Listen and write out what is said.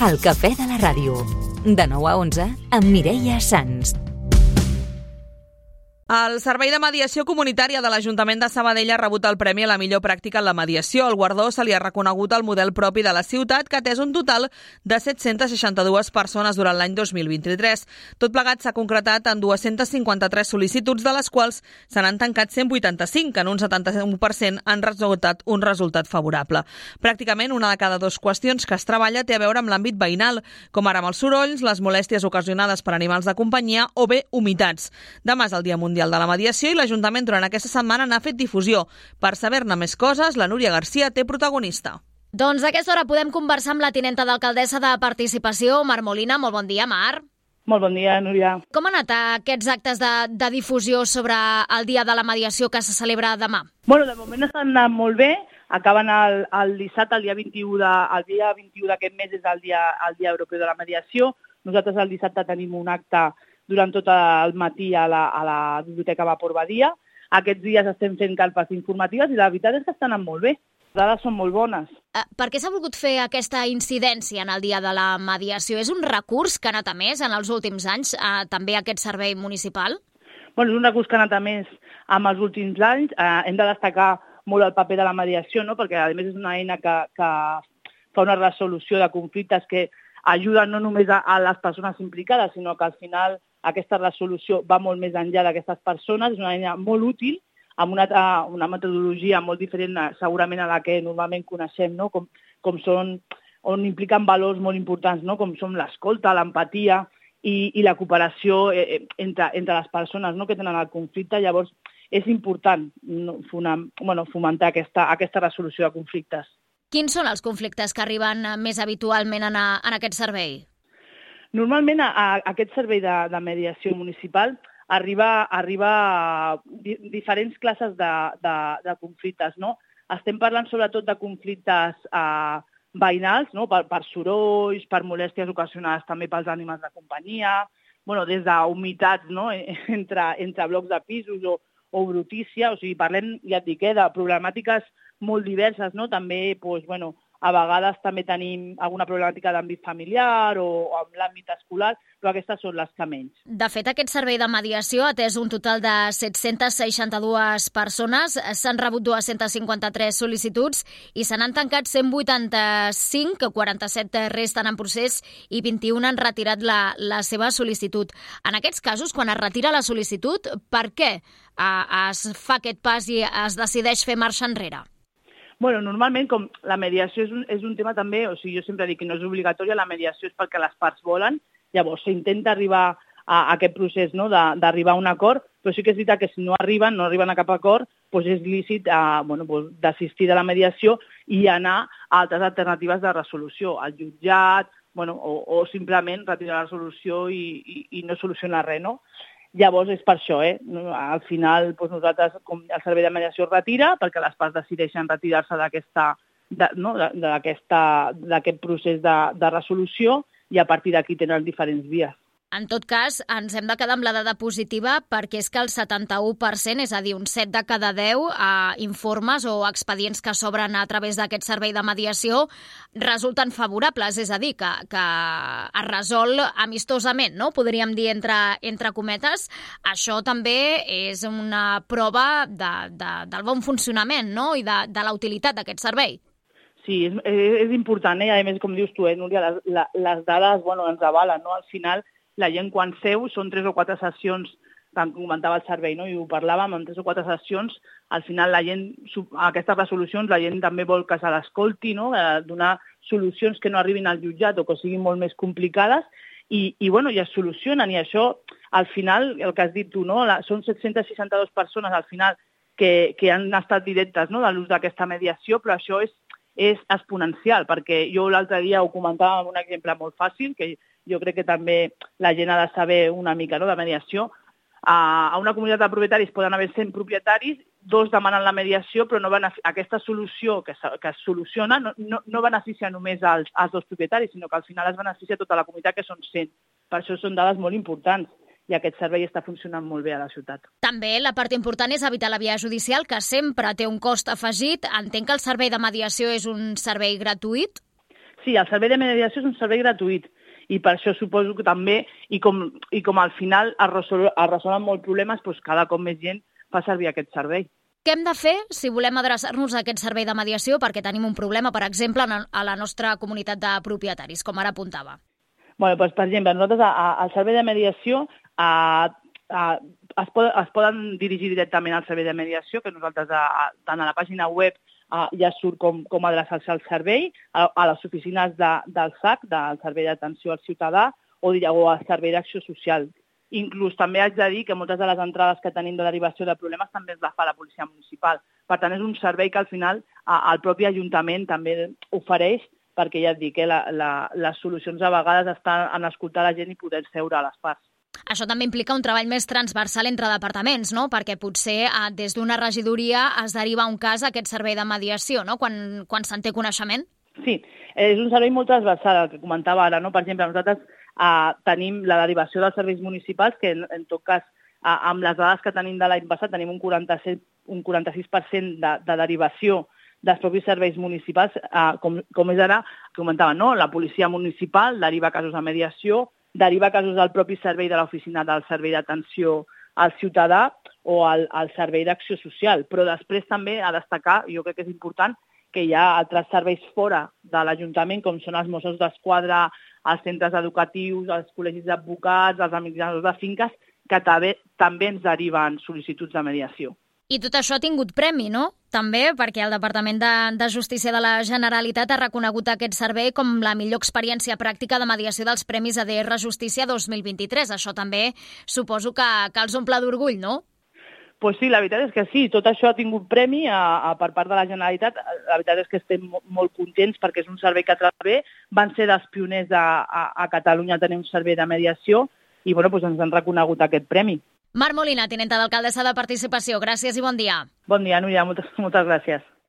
El cafè de la ràdio. De 9 a 11 amb Mireia Sans. El Servei de Mediació Comunitària de l'Ajuntament de Sabadell ha rebut el Premi a la millor pràctica en la mediació. El guardó se li ha reconegut al model propi de la ciutat, que ha atès un total de 762 persones durant l'any 2023. Tot plegat s'ha concretat en 253 sol·licituds, de les quals se n'han tancat 185, que en un 71% han resultat un resultat favorable. Pràcticament una de cada dues qüestions que es treballa té a veure amb l'àmbit veïnal, com ara amb els sorolls, les molèsties ocasionades per animals de companyia o bé humitats. Demà és el Dia Mundial de la Mediació i l'Ajuntament durant aquesta setmana n'ha fet difusió. Per saber-ne més coses, la Núria Garcia té protagonista. Doncs a aquesta hora podem conversar amb la tinenta d'alcaldessa de Participació, Mar Molina. Molt bon dia, Mar. Molt bon dia, Núria. Com han anat aquests actes de difusió sobre el Dia de la Mediació que se celebra demà? Bueno, de moment estan anant molt bé. Acaben el dissabte, el dia 21 d'aquest mes és el dia Europeu de la Mediació. Nosaltres el dissabte tenim un acte durant tot el matí a la Biblioteca Vapor Badia. Aquests dies estem fent carpes informatives i la veritat és que estan anant molt bé. Les dades són molt bones. Per què s'ha volgut fer aquesta incidència en el Dia de la Mediació? És un recurs que ha anat a més en els últims anys, també aquest servei municipal? Bueno, és un recurs que ha anat a més en els últims anys. Hem de destacar molt el paper de la mediació, no? Perquè a més és una eina que fa una resolució de conflictes que ajuden no només a les persones implicades, sinó que al final aquesta resolució va molt més enllà d'aquestes persones. És una eina molt útil, amb una metodologia molt diferent segurament a la que normalment coneixem, no? On impliquen valors molt importants, no? Com són l'escolta, l'empatia i la cooperació entre les persones, no? Que tenen el conflicte. Llavors és important fomentar aquesta resolució de conflictes. Quins són els conflictes que arriben més habitualment en aquest servei? Normalment aquest servei de mediació municipal arriba a diferents classes de conflictes, no? Estem parlant sobretot de conflictes veïnals, no? Per sorolls, per molèsties ocasionades també pels animals de companyia, des d'humitats, no? entre blocs de pisos o brutícia. O sigui, parlem, ja et dic, de problemàtiques molt diverses, no? També, a vegades també tenim alguna problemàtica d'àmbit familiar o amb l'àmbit escolar, però aquestes són les que menys. De fet, aquest servei de mediació ha atès un total de 762 persones, s'han rebut 253 sol·licituds i se n'han tancat 185, 47 resten en procés i 21 han retirat la seva sol·licitud. En aquests casos, quan es retira la sol·licitud, per què es fa aquest pas i es decideix fer marxa enrere? Normalment, com la mediació és un tema també, o sigui, jo sempre dic que no és obligatòria, la mediació és perquè les parts volen, llavors s'intenta arribar a aquest procés, no? D'arribar a un acord, però sí que és veritat que si no arriben a cap acord, és lícit desistir de la mediació i anar a altres alternatives de resolució, al jutjat, o simplement retirar la resolució i no solucionar res, no? Llavors és per això, al final nosaltres, com el servei de mediació es retira, perquè les parts decideixen retirar-se d'aquest procés de resolució i a partir d'aquí tenen diferents vies. En tot cas, ens hem de quedar amb la dada positiva perquè és que el 71%, és a dir, un 7 de cada 10 informes o expedients que s'obren a través d'aquest servei de mediació resulten favorables, és a dir, que es resol amistosament, no? Podríem dir entre cometes. Això també és una prova del bon funcionament, no? I de la utilitat d'aquest servei. Sí, és important, i a més, com dius tu, Núria, les dades ens avalen, no? Al final, la gent quan seu són 3 o 4 sessions, tant comentava el servei, no? I ho parlàvem, en 3 o 4 sessions, al final la gent, aquestes resolucions, la gent també vol que se l'escolti, no? Donar solucions que no arribin al jutjat o que siguin molt més complicades i es solucionen. I això, al final, el que has dit tu, no? Són 762 persones, al final, que han estat directes, no? De l'ús d'aquesta mediació, però això és exponencial, perquè jo l'altre dia ho comentava amb un exemple molt fàcil, que jo crec que també la gent ha de saber una mica, no?, de mediació. A una comunitat de propietaris poden haver 100 propietaris, 2 demanen la mediació, però aquesta solució que es soluciona no beneficia només als 2 propietaris, sinó que al final es beneficia tota la comunitat, que són 100. Per això són dades molt importants. I aquest servei està funcionant molt bé a la ciutat. També la part important és evitar la via judicial, que sempre té un cost afegit. Entenc que el servei de mediació és un servei gratuït? Sí, el servei de mediació és un servei gratuït i per això suposo que també, i com al final es resolen molts problemes, doncs cada cop més gent fa servir aquest servei. Què hem de fer si volem adreçar-nos a aquest servei de mediació perquè tenim un problema, per exemple, a la nostra comunitat de propietaris, com ara apuntava? Bé, doncs, per exemple, nosaltres al servei de mediació es poden dirigir directament al servei de mediació, que nosaltres tant a la pàgina web ja surt com adreçar-se al servei, a les oficines del SAC, del Servei d'Atenció al Ciutadà, o al Servei d'Acció Social. Inclús també haig de dir que moltes de les entrades que tenim de derivació de problemes també es la fa la policia municipal. Per tant, és un servei que al final el propi Ajuntament també ofereix, perquè ja et dic que les solucions a vegades estan en escoltar la gent i poder seure a les parts. Això també implica un treball més transversal entre departaments, no? Perquè potser des d'una regidoria es deriva un cas a aquest servei de mediació, no? Quan se'n té coneixement? Sí, és un servei molt transversal, el que comentava ara, no? Per exemple, nosaltres tenim la derivació dels serveis municipals, que en tot cas, amb les dades que tenim de l'any passat, tenim un 46% de derivació dels propis serveis municipals, com és ara, comentava, no? La policia municipal deriva casos a mediació, deriva casos al propi servei de l'oficina del Servei d'Atenció al Ciutadà o al Servei d'Acció Social. Però després també a destacar, jo crec que és important, que hi ha altres serveis fora de l'Ajuntament, com són els Mossos d'Esquadra, els centres educatius, els col·legis d'advocats, els administradors de finques, que també ens deriven sol·licituds de mediació. I tot això ha tingut premi, no? També perquè el Departament de Justícia de la Generalitat ha reconegut aquest servei com la millor experiència pràctica de mediació dels Premis ADR Justícia 2023. Això també suposo que els omple d'orgull, no? Pues sí, la veritat és que sí, tot això ha tingut premi per part de la Generalitat. La veritat és que estem molt contents perquè és un servei que treballa bé. Van ser dels pioners a Catalunya a tenir un servei de mediació i doncs ens han reconegut aquest premi. Mar Molina, tinenta d'alcaldessa de Participació, gràcies i bon dia. Bon dia, Núria, moltes gràcies.